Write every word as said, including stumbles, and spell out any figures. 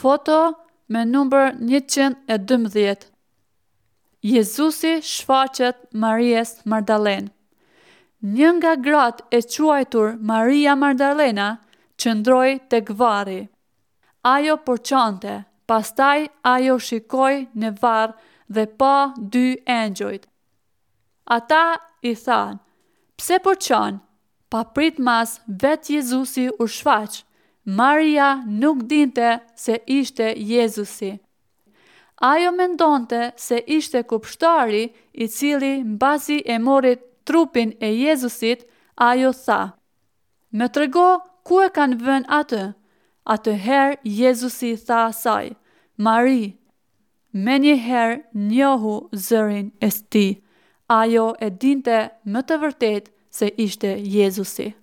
Foto me numër njëqind e dymbëdhjetë. Jezusi shfaqet Maries Magdalenë. Një nga gratë e quajtur Maria Magdalena qëndroi tek varri. Ajo po qante, pastaj ajo shikoi në varr dhe pa dy engjëjt. Ata i thanë, Pse po qan? Papritmas vetë Jezusi u shfaq. Maria nuk dinte se ishte Jezusi. Ajo mendonte se ishte kopshtari i cili mbasi e mori trupin e Jezusit, ajo tha, Më trego ku e kanë vënë atë. Atëherë Jezusi i tha asaj, Mari. Menjëherë njohu zërin e tij. Ajo e dinte me të vërtetë se ishte Jezusi.